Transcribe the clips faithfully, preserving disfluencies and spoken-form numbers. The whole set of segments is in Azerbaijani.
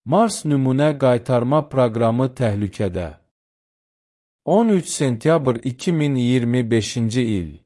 Mars nümunə qaytarma proqramı təhlükədə. on üç sentyabr iki min iyirmi beşinci il.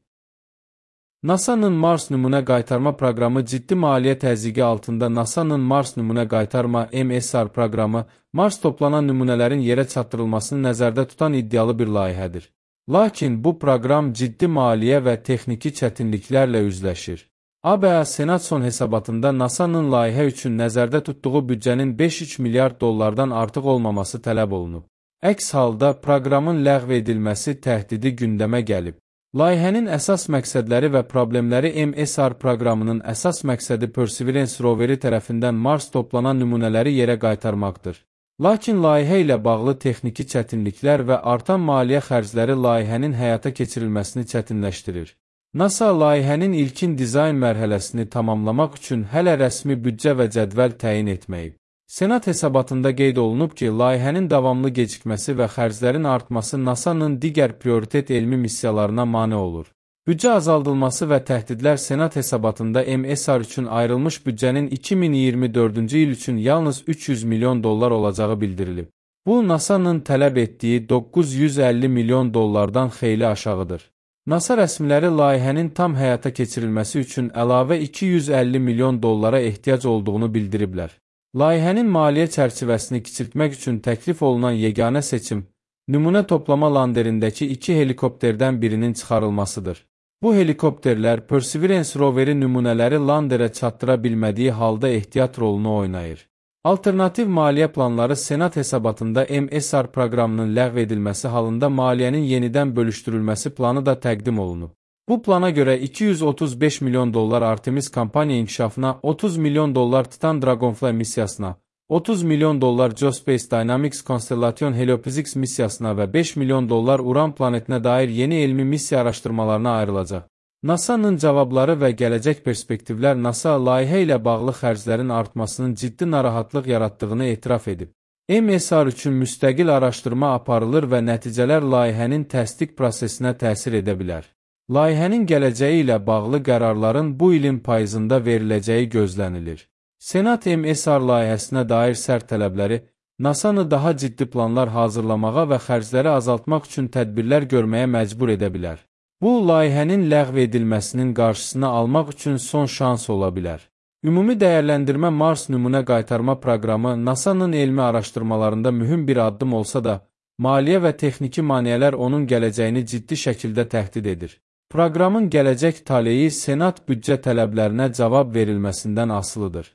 NASA'nın Mars nümunə qaytarma proqramı ciddi maliyyə təzyiqi altında NASA'nın Mars nümunə qaytarma M S R proqramı Mars toplanan nümunələrin yerə çatdırılmasını nəzərdə tutan iddialı bir layihədir. Lakin bu proqram ciddi maliyyə və texniki çətinliklərlə üzləşir. A B A Senat son hesabatında NASA'nın layihə üçün nəzərdə tutduğu büdcənin beş üç milyard dollardan artıq olmaması tələb olunub. Əks halda proqramın ləğv edilməsi təhdidi gündəmə gəlib. Layihənin əsas məqsədləri və problemləri M S R proqramının əsas məqsədi Perseverance roveri tərəfindən Mars toplanan nümunələri yerə qaytarmaqdır. Lakin layihə ilə bağlı texniki çətinliklər və artan maliyyə xərcləri layihənin həyata keçirilməsini çətinləşdirir. NASA layihənin ilkin dizayn mərhələsini tamamlamaq üçün hələ rəsmi büdcə və cədvəl təyin etməyib. Senat hesabatında qeyd olunub ki, layihənin davamlı gecikməsi və xərclərin artması NASA'nın digər prioritet elmi missiyalarına mane olur. Büdcə azaldılması və təhdidlər Senat hesabatında M S R üçün ayrılmış büdcənin iki min iyirmi dördüncü il üçün yalnız üç yüz milyon dollar olacağı bildirilib. Bu, NASA'nın tələb etdiyi doqquz yüz əlli milyon dollardan xeyli aşağıdır. NASA rəsmiləri layihənin tam həyata keçirilməsi üçün əlavə iki yüz əlli milyon dollara ehtiyac olduğunu bildiriblər. Layihənin maliyyə çərçivəsini kiçiltmək üçün təklif olunan yeganə seçim, nümunə toplama landerindəki iki helikopterdən birinin çıxarılmasıdır. Bu helikopterlər Perseverance roveri nümunələri landerə çatdıra bilmədiyi halda ehtiyat rolunu oynayır. Alternativ maliyyə planları Senat hesabatında M S R proqramının ləğv edilməsi halında maliyyənin yenidən bölüşdürülməsi planı da təqdim olunub. Bu plana görə iki yüz otuz beş milyon dollar Artemis kampaniya inkişafına, otuz milyon dollar Titan Dragonfly missiyasına, otuz milyon dollar Geospace Dynamics Constellation Heliophysics missiyasına və beş milyon dollar Uran planetinə dair yeni elmi missiya araşdırmalarına ayrılacaq. NASA'nın cavabları və gələcək perspektivlər NASA layihə ilə bağlı xərclərin artmasının ciddi narahatlıq yaratdığını etiraf edib. M S R üçün müstəqil araşdırma aparılır və nəticələr layihənin təsdiq prosesinə təsir edə bilər. Layihənin gələcəyi ilə bağlı qərarların bu ilin payızında veriləcəyi gözlənilir. Senat M S R layihəsinə dair sərt tələbləri, NASA'nı daha ciddi planlar hazırlamağa və xərcləri azaltmaq üçün tədbirlər görməyə məcbur edə bilər. Bu, layihənin ləğv edilməsinin qarşısını almaq üçün son şans ola bilər. Ümumi dəyərləndirmə Mars nümunə qaytarma proqramı NASA'nın elmi araşdırmalarında mühüm bir addım olsa da, maliyyə və texniki maneələr onun gələcəyini ciddi şəkildə təhdid edir. Proqramın gələcək taleyi Senat büdcə tələblərinə cavab verilməsindən asılıdır.